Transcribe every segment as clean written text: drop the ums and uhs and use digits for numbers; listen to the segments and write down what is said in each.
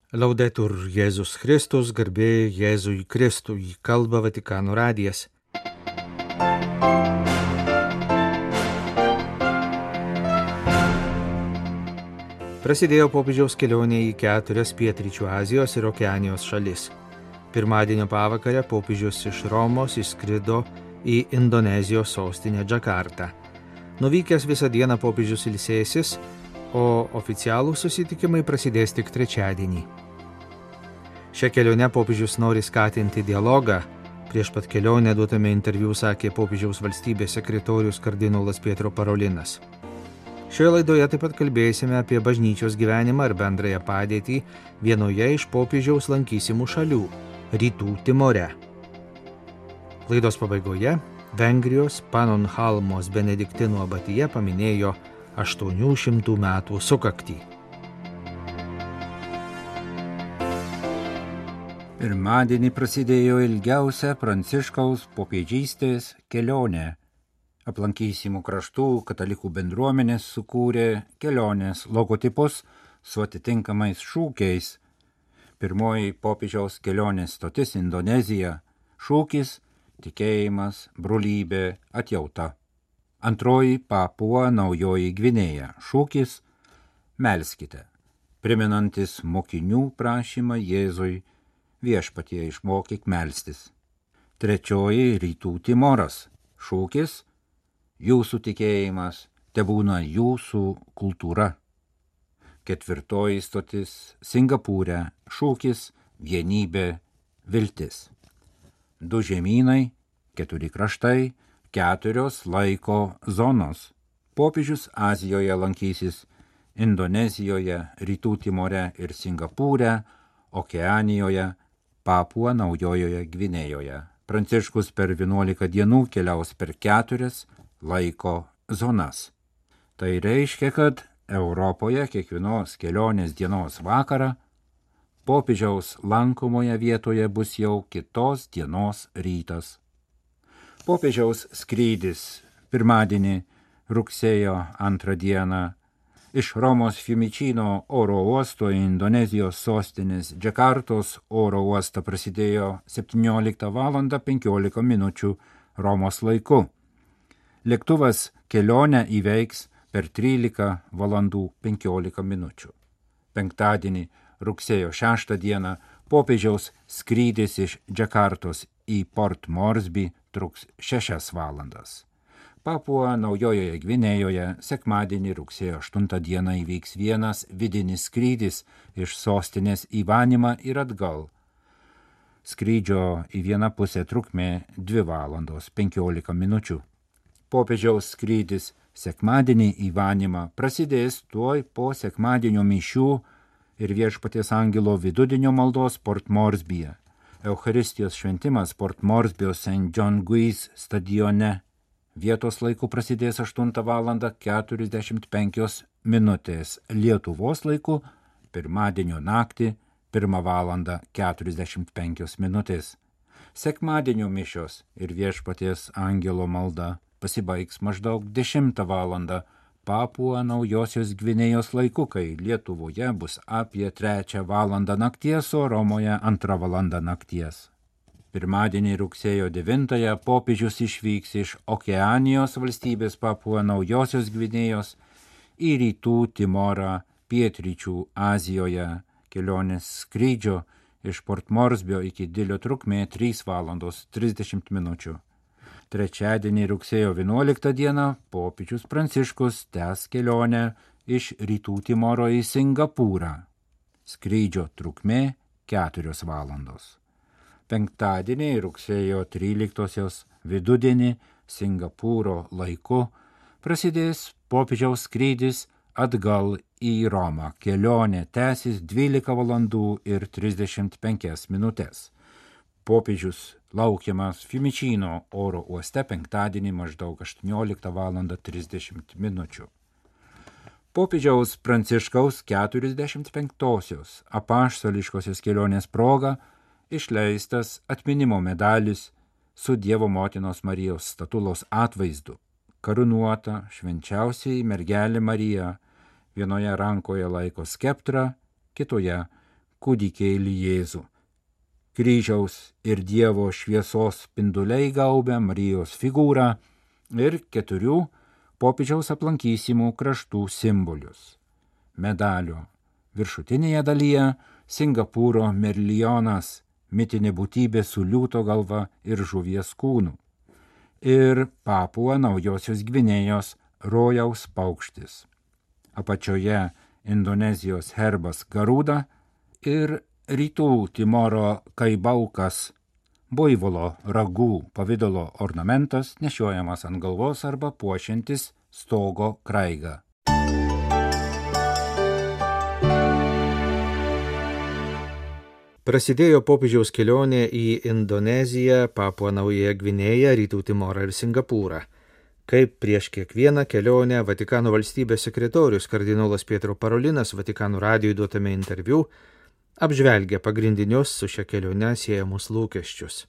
Laudetur Jėzus Kristus, garbė Jėzui Kristui, kalba Vatikano radijas. Prasidėjo popiežiaus kelionė į 4 pietryčių Azijos ir Okeanijos šalis. Pirmadienio pavakarę popiežius iš Romos išskrido į Indonezijos sostinę Džakartą. Nuvykęs visą dieną popiežius ilsėsis, o oficialūs susitikimai prasidės tik trečiadienį. Šią kelionę popiežius nori skatinti dialogą. Prieš pat kelionę duotame interviu sakė popiežiaus valstybės sekretorius kardinolas Pietro Parolinas. Šioje laidoje taip pat kalbėsime apie bažnyčios gyvenimą ir bendrąją padėtį vienoje iš popiežiaus lankysimų šalių – Rytų Timore. Laidos pabaigoje Vengrijos Panonhalmos Benediktinų abatija paminėjo 800 metų sukaktį. Pirmadienį prasidėjo ilgiausia Pranciškaus popiežystės kelionė. Aplankysimų kraštų katalikų bendruomenės sukūrė kelionės logotipus su atitinkamais šūkiais. Pirmoji popiežiaus kelionės stotis Indonezija. Šūkis – tikėjimas, brolybė, atjauta. Antroji Papua Naujoji Gvinėja. Šūkis – melskite, priminantis mokinių prašymą Jėzui, viešpatie išmokyk melstis. Trečioji Rytų Timoras. Šūkis – jūsų tikėjimas, tebūna jūsų kultūra. Ketvirtoji stotis Singapūre. Šūkis – vienybė, viltis. 2 žemynai, 4 kraštai, 4 laiko zonos. Popiežius Azijoje lankysis Indonezijoje, Rytų Timore ir Singapūre, Okeanijoje, Papua Naujojoje Gvinėjoje. Pranciškus per 11 dienų keliaus per 4 laiko zonas. Tai reiškia, kad Europoje kiekvienos kelionės dienos vakarą popiežiaus lankomoje vietoje bus jau kitos dienos rytas. Popiežiaus skrydis pirmadienį rugsėjo 2 dieną iš Romos Fiumicino oro uosto į Indonezijos sostinės Džakartos oro uostą prasidėjo 17:15 Romos laiku. Lėktuvas kelionę įveiks per 13:15. Penktadienį rugsėjo 6 dieną popiežiaus skrydis iš Džakartos į Port Moresby truks 6 valandas. Papua Naujojoje Gvinėjoje sekmadienį rugsėjo 8 dieną įvyks vienas vidinis skrydis iš sostinės į Vanimą ir atgal. Skrydžio į vieną pusę trukmė 2:15. Popiežiaus skrydis sekmadienį į Vanimą prasidės tuoj po sekmadienio mišių ir viešpaties angelo vidudienio maldos Port Moresbyje. Eucharistijos šventimas Port Moresbyo St. John Guis stadione. Vietos laiku prasidės 8:45 Lietuvos laiku, pirmadienio naktį 1:45. Sekmadienio mišios ir viešpaties angelo malda pasibaigs maždaug 10 valandą Papua Naujosios Gvinėjos laiku, kai Lietuvoje bus apie 3 valandą nakties, o Romoje 2 valanda nakties. Pirmadienį rugsėjo 9 popiežius išvyks iš Okeanijos valstybės Papua Naujosios Gvinėjos į Rytų Timorą pietryčių Azijoje. Kelionės skrydžio iš Port Moresbyo iki Dilio trukmė 3:30. Trečiadienį rugsėjo 11 dieną popiežius Pranciškus tęs kelionę iš Rytų Timoro į Singapūrą. Skrydžio trukmė 4 valandos. Penktadienį rugsėjo 13 vidudienį Singapūro laiku prasidės popiežiaus skrydis atgal į Romą. Kelionė tęsis 12 valandų ir 35 minutės. Popiežius laukiamas Fiumicino oro uoste penktadienį maždaug 18:30 minučių. Popiežiaus Pranciškaus 45-osios apaštališkosios kelionės proga išleistas atminimo medalis su Dievo motinos Marijos statulos atvaizdu. Karūnuota švenčiausiai mergelė Marija, vienoje rankoje laiko skeptrą, kitoje kūdikėlį Jėzų. Kryžiaus ir Dievo šviesos spinduliai gaubia Marijos figūrą ir 4 popiežiaus aplankysimų kraštų simbolius. Medalio viršutinėje dalyje Singapūro merlionas, mitinė būtybė su liūto galva ir žuvies kūnu. Ir Papua Naujosios Gvinėjos rojaus paukštis. Apačioje Indonezijos herbas Garuda ir Rytų Timoro kaibaukas, buivolo ragų pavidalo ornamentas nešiojamas ant galvos arba puošiantis stogo kraigą. Prasidėjo popiežiaus kelionė į Indoneziją, Papua Naująją Gvinėją, Rytų Timorą ir Singapūrą. Kaip prieš kiekvieną kelionę Vatikano valstybės sekretorius kardinolas Pietro Parolinas Vatikano radijui duotame interviu apžvelgia pagrindinius su šia kelione siejamus lūkesčius.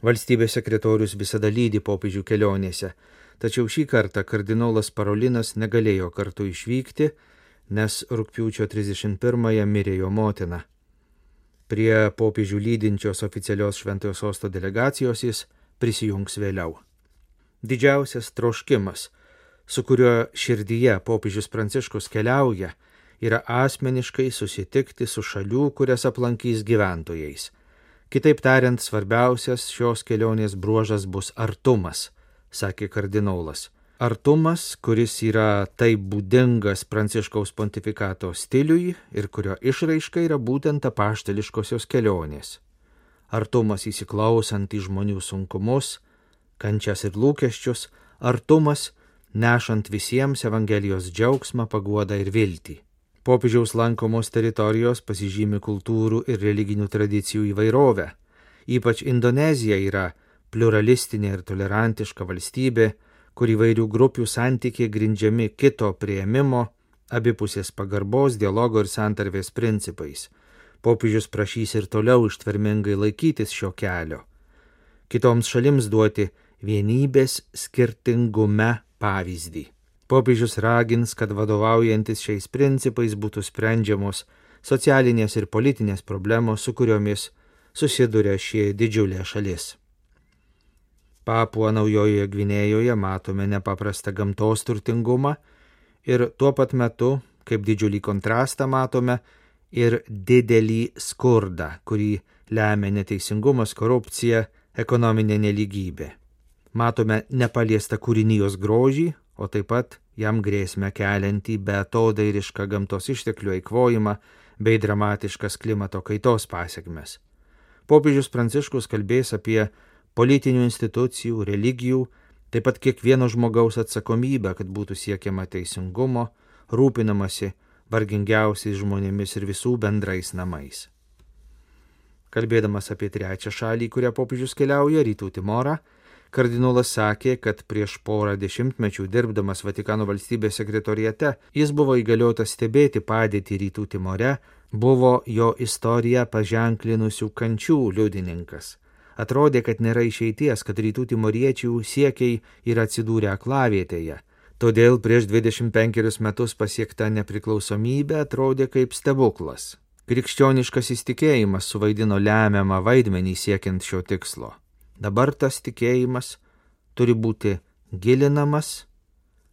Valstybės sekretorius visada lydi popiežių kelionėse, tačiau šį kartą kardinolas Parolinas negalėjo kartu išvykti, nes rugpjūčio 31-ąją mirė jo motina. Prie popiežių lydinčios oficialios Šventojo Sosto delegacijos jis prisijungs vėliau. Didžiausias troškimas, su kuriuo širdyje popiežius Pranciškus keliauja, yra asmeniškai susitikti su šalių, kurias aplankys gyventojais. Kitaip tariant, svarbiausias šios kelionės bruožas bus artumas, sakė kardinolas. Artumas, kuris yra taip būdingas Pranciškaus pontifikato stiliui ir kurio išraiška yra būtent apaštališkosios kelionės. Artumas įsiklausant į žmonių sunkumus, kančias ir lūkesčius, artumas nešant visiems Evangelijos džiaugsmą, paguodą ir viltį. Popiežiaus lankomos teritorijos pasižymi kultūrų ir religinių tradicijų įvairovę. Ypač Indonezija yra pluralistinė ir tolerantiška valstybė, kur įvairių grupių santykiai grindžiami kito priėmimo, abipusės pagarbos, dialogo ir santarvės principais. Popiežius prašys ir toliau ištvermingai laikytis šio kelio. Kitoms šalims duoti vienybės skirtingume pavyzdį. Popiežius ragins, kad vadovaujantis šiais principais būtų sprendžiamos socialinės ir politinės problemos, su kuriomis susiduria ši didžiulė šalis. Papua Naujojoje Gvinėjoje matome nepaprastą gamtos turtingumą ir tuo pat metu, kaip didžiulį kontrastą matome, ir didelį skurdą, kurį lemia neteisingumas, korupcija, ekonominė nelygybė. Matome nepaliestą kūrinijos grožį, o taip pat jam grėsmę keliantį beatodairišką gamtos išteklių eikvojimą bei dramatiškas klimato kaitos pasekmes. Popiežius Pranciškus kalbės apie politinių institucijų, religijų, taip pat kiekvieno žmogaus atsakomybę, kad būtų siekiama teisingumo, rūpinamasi vargingiausiais žmonėmis ir visų bendrais namais. Kalbėdamas apie trečią šalį, kurią popiežius keliauja, Rytų Timorą, kardinolas sakė, kad prieš porą dešimtmečių dirbdamas Vatikano valstybės sekretoriate, jis buvo įgaliotas stebėti padėtį Rytų Timore, buvo jo istoriją paženklinusių kančių liudininkas. Atrodė, kad nėra išeities, kad Rytų Timoriečių siekiai yra atsidūrę aklavietėje. Todėl prieš 25 metus pasiekta nepriklausomybė atrodė kaip stebuklas. Krikščioniškas įtikėjimas suvaidino lemiamą vaidmenį siekiant šio tikslo. Dabar tas tikėjimas turi būti gilinamas,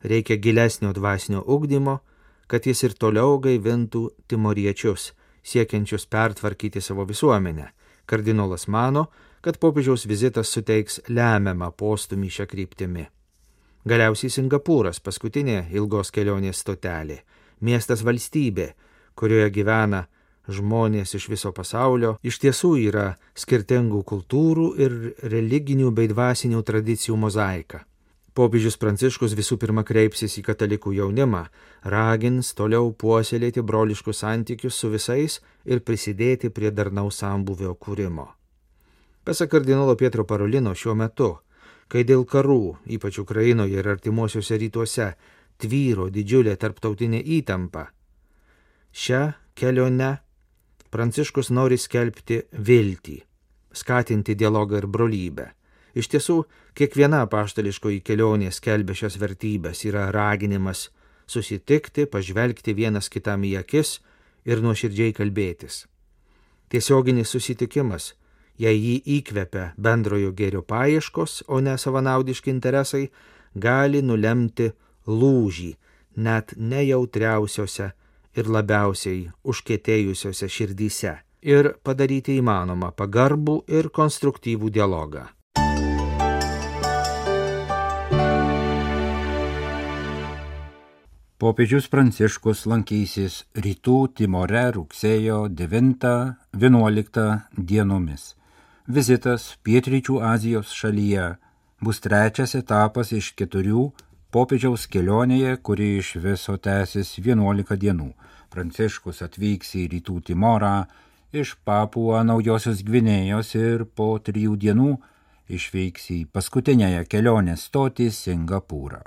reikia gilesnio dvasinio ugdymo, kad jis ir toliau gaivintų timoriečius, siekiančius pertvarkyti savo visuomenę. Kardinolas mano, kad popiežiaus vizitas suteiks lemiamą postūmį šią kryptimį. Galiausiai Singapūras, paskutinė ilgos kelionės stotelė, miestas valstybė, kurioje gyvena žmonės iš viso pasaulio, iš tiesų yra skirtingų kultūrų ir religinių bei dvasinių tradicijų mozaika. Popiežius Pranciškus visų pirma kreipsis į katalikų jaunimą, ragins toliau puoselėti broliškus santykius su visais ir prisidėti prie darnaus sambūvio kūrimo. Pasak kardinolo Pietro Parolino, šiuo metu, kai dėl karų, ypač Ukrainoje ir artimuosiuose rytuose, tvyro didžiulė tarptautinė įtampa, šią kelionę Pranciškus nori skelbti viltį, skatinti dialogą ir brolybę. Iš tiesų, kiekviena apaštališkoji kelionė skelbia šias vertybės, yra raginimas susitikti, pažvelgti vienas kitam į akis ir nuoširdžiai kalbėtis. Tiesioginis susitikimas, jei jį įkvepia bendrojo gėrio paieškos, o ne savanaudiški interesai, gali nulemti lūžį net nejautriausiose ir labiausiai užkietėjusiose širdyse ir padaryti įmanomą pagarbų ir konstruktyvų dialogą. Popiežius Pranciškus lankysis Rytų Timore rugsėjo 9-11 dienomis. Vizitas Pietryčių Azijos šalyje bus trečias etapas iš 4 popiežiaus kelionėje, kuri iš viso tęsis 11 dienų. Pranciškus atvyks į Rytų Timorą iš Papua Naujosios Gvinėjos ir po 3 dienų išvyks į paskutinėje kelionės stotį Singapūrą.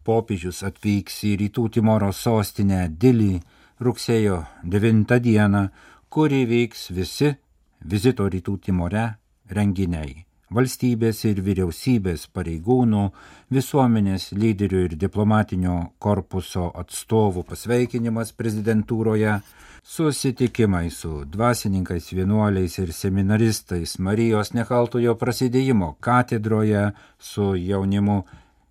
Popiežius atvyks į Rytų Timoro sostinę Dilį rugsėjo 9 dieną, kur įvyks visi vizito Rytų Timore renginiai. Valstybės ir vyriausybės pareigūnų, visuomenės lyderių ir diplomatinio korpuso atstovų pasveikinimas prezidentūroje, susitikimai su dvasininkais, vienuoliais ir seminaristais Marijos Nekaltojo prasidėjimo katedroje, su jaunimu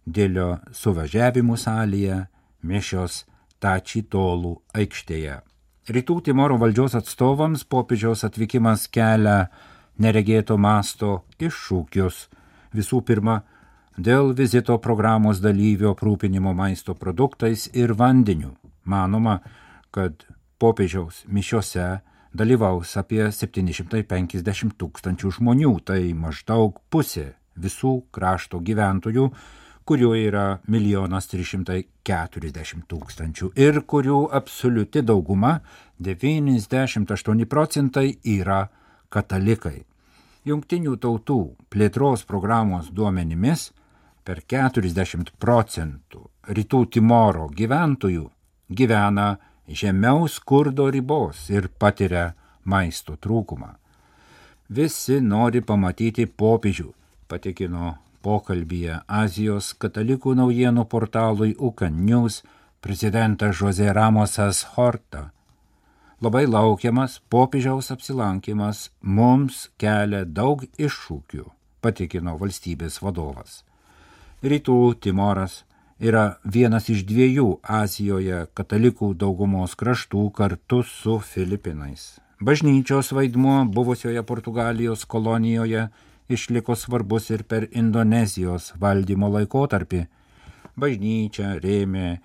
Dilio suvažiavimų salėje, mišios Tačitolų aikštėje. Rytų Timoro valdžios atstovams popiežiaus atvykimas kelia neregėto masto iššūkius. Visų pirma, dėl vizito programos dalyvių aprūpinimo maisto produktais ir vandeniu. Manoma, kad popiežiaus mišiose dalyvaus apie 750 000 žmonių, tai maždaug pusė visų krašto gyventojų, kurių yra 1 340 000 ir kurių absoliuti dauguma 98% yra katalikai. Jungtinių tautų plėtros programos duomenimis per 40% Rytų Timoro gyventojų gyvena žemiau skurdo ribos ir patiria maisto trūkumą. Visi nori pamatyti popiežių, patikino pokalbyje Azijos katalikų naujienų portalui UCAN News prezidentas José Ramosas Horta. Labai laukiamas popiežiaus apsilankimas mums kelia daug iššūkių, patikino valstybės vadovas. Rytų Timoras yra vienas iš 2 Azijoje katalikų daugumos kraštų kartu su Filipinais. Bažnyčios vaidmuo buvusioje Portugalijos kolonijoje išliko svarbus ir per Indonezijos valdymo laikotarpį. Bažnyčia rėmė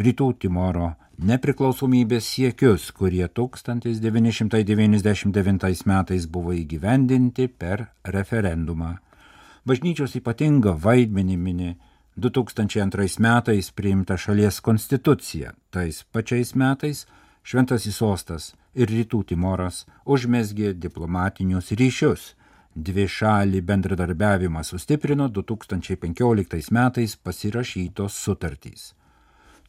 Rytų Timoro nepriklausomybės siekius, kurie 1999 metais buvo įgyvendinti per referendumą. Bažnyčios ypatingą vaidmenį mini 2002 metais priimta šalies konstitucija. Tais pačiais metais Šventasis sostas ir Rytų Timoras užmezgė diplomatinius ryšius. Dvišalį bendradarbiavimą sustiprino 2015 metais pasirašytos sutartys.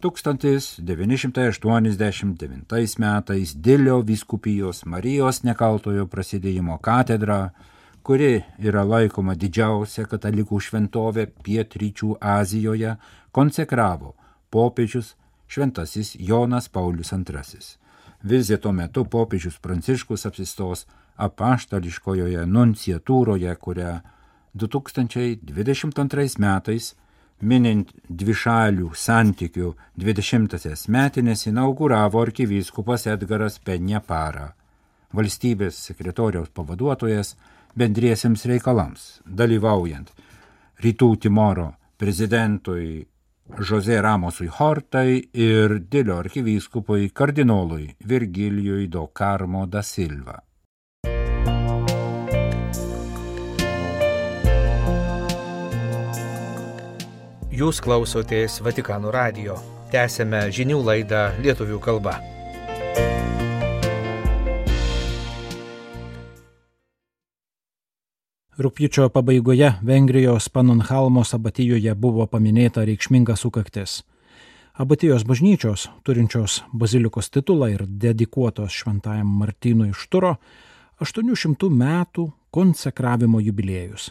1989 metais Dilio vyskupijos Marijos Nekaltojo prasidėjimo katedra, kuri yra laikoma didžiausia katalikų šventovė Pietryčių Azijoje, konsekravo popiežius Šventasis Jonas Paulius II. Vizito metu popiežius Pranciškus apsistos apaštališkojoje nunciatūroje, kurią 2022 metais, minint dvišalių santykių 20-asias metinės, inauguravo arkivyskupas Edgaras Penjapara, valstybės sekretoriaus pavaduotojas bendriesiems reikalams, dalyvaujant Rytų Timoro prezidentui José Ramosui Hortai ir Dilio arkivyskupui kardinolui Virgilijui do Carmo da Silva. Jūs klausotės Vatikano radijo. Tęsiame žinių laidą lietuvių kalba. Rugpjūčio pabaigoje Vengrijos Pannonhalmos abatijoje buvo paminėta reikšminga sukaktis. Abatijos bažnyčios, turinčios bazilikos titulą ir dedikuotos šventajam Martynui iš Turo, 800 metų konsekravimo jubiliejus.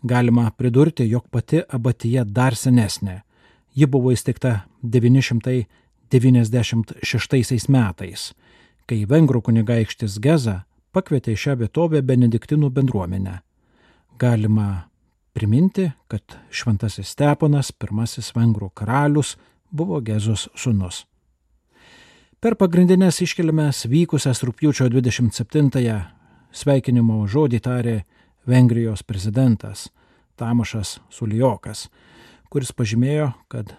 Galima pridurti, jog pati abatija dar senesnė. Ji buvo įsteigta 910 96 metais, kai vengrų kunigaikštis Geza pakvietė į šią vietovę benediktinų bendruomenę. Galima priminti, kad Šventasis Steponas, pirmasis vengrų karalius, buvo Gezos sūnus. Per pagrindinės iškilmes vykusias rugpjūčio 27-ąją sveikinimo žodį tarė Vengrijos prezidentas Tamošas Suljokas, kuris pažymėjo, kad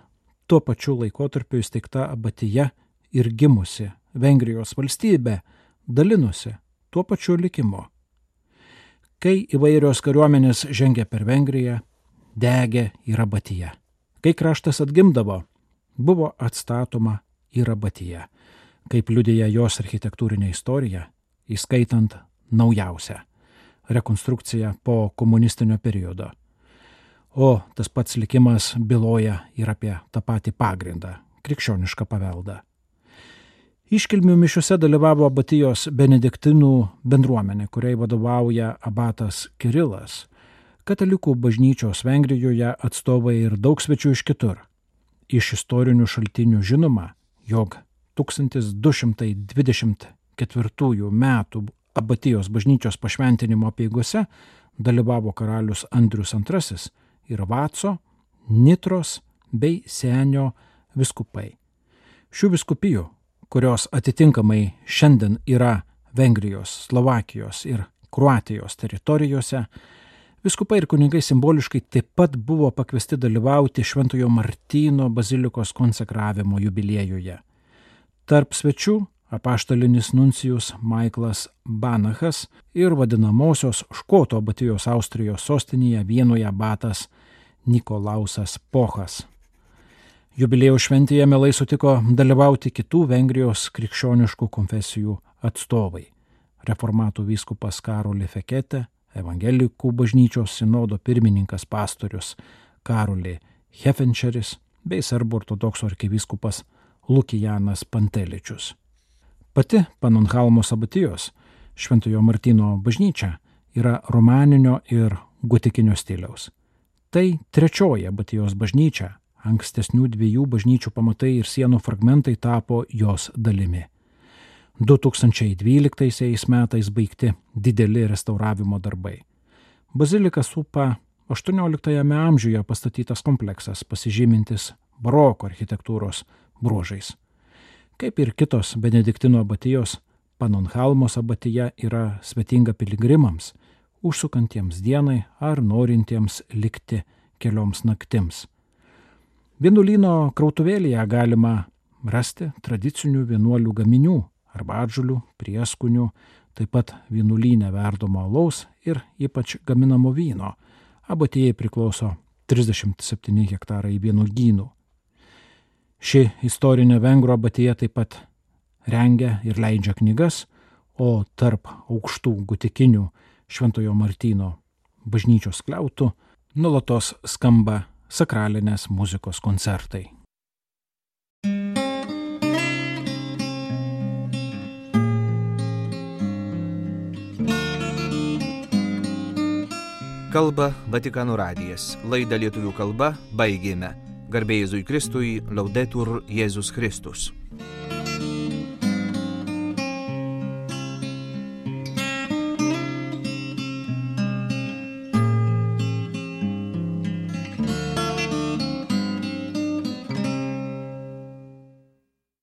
tuo pačiu laikotarpiu įsteigta abatija ir gimusi Vengrijos valstybė dalinusi tuo pačiu likimu. Kai įvairios kariuomenės žengė per Vengriją, degė ir abatija. Kai kraštas atgimdavo, buvo atstatoma ir abatija, kaip liudija jos architektūrinė istorija, įskaitant naujausią rekonstrukciją po komunistinio periodo. O tas pats likimas byloja ir apie tą patį pagrindą – krikščionišką paveldą. Iškilmių mišiuose dalyvavo abatijos benediktinų bendruomenė, kuriai vadovauja abatas Kirilas, katalikų bažnyčios Vengrijoje atstovai ir daug svečių iš kitur. Iš istorinių šaltinių žinoma, jog 1224 metų abatijos bažnyčios pašventinimo apeigose dalyvavo karalius Andrius II ir Vaco, Nitros bei Senio vyskupai. Šių vyskupijų, kurios atitinkamai šiandien yra Vengrijos, Slovakijos ir Kroatijos teritorijose, vyskupai ir kunigai simboliškai taip pat buvo pakviesti dalyvauti Šventojo Martyno bazilikos konsekravimo jubiliejuje. Tarp svečių apaštalinis nuncijus Maiklas Banachas ir vadinamosios Škotų abatijos Austrijos sostinėje Vienoje abatas Nikolausas Pochas. Jubiliejaus šventėje mielai sutiko dalyvauti kitų Vengrijos krikščioniškų konfesijų atstovai. Reformatų vyskupas Karolį Feketę, evangelikų bažnyčios sinodo pirmininkas pastorius Karolį Hefenčeris bei serbų ortodoksų arkivyskupas Lukijanas Panteličius. Pati Panonhalmos abatijos Šventojo Martyno bažnyčia yra romaninio ir gotikinio stiliaus. Tai trečioji abatijos bažnyčia, ankstesnių dviejų bažnyčių pamatai ir sienų fragmentai tapo jos dalimi. 2012 metais baigti dideli restauravimo darbai. Baziliką supa 18 amžiuje pastatytas kompleksas, pasižymintis baroko architektūros bruožais. Kaip ir kitos benediktino abatijos, Panonhalmos abatija yra svetinga piligrimams, užsukantiems dienai ar norintiems likti kelioms naktims. Vienuolyno krautuvėlėje galima rasti tradicinių vienuolių gaminių, arbatžolių, prieskonių, taip pat vienuolyne verdomo alaus ir ypač gaminamo vyno. Abatijai priklauso 37 hektarai vynuogynų. Ši istorinė vengrų abatija taip pat rengia ir leidžia knygas, o tarp aukštų gotikinių Šventojo Martyno bažnyčios skliautų nuolatos skamba sakralinės muzikos koncertai. Kalba Vatikano radijas. Laidą lietuvių kalba baigėme. Garbė Jėzui Kristui, Laudetur Jėzus Kristus.